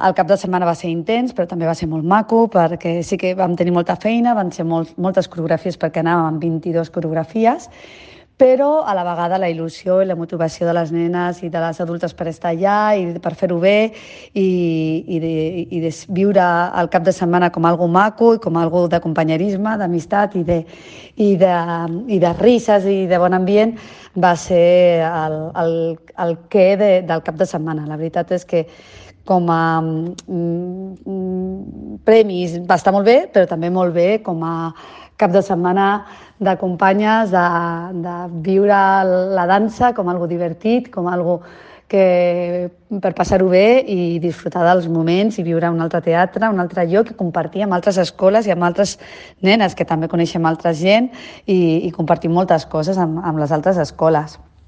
El cap de setmana va ser intens, però també va ser molt maco, perquè sí que vam tenir molta feina, van ser moltes coreografies, perquè anàvem amb 22 coreografies, però a la vegada la il·lusió i la motivació de les nenes i de les adultes per estar allà i per fer-ho bé i de viure el cap de setmana com algo maco i com algo de companyerisme, d'amistat i de risses i de bon ambient va ser el què del cap de setmana. La veritat és que com a premis va estar molt bé, però també molt bé com a cap de setmana de companyes, de viure la dansa com algo divertit, com algo que per passar-ho bé i disfrutar dels moments i viure un altre teatre, un altre lloc, i compartir amb altres escoles i amb altres nenes que també coneixem altra gent i compartir moltes coses amb les altres escoles.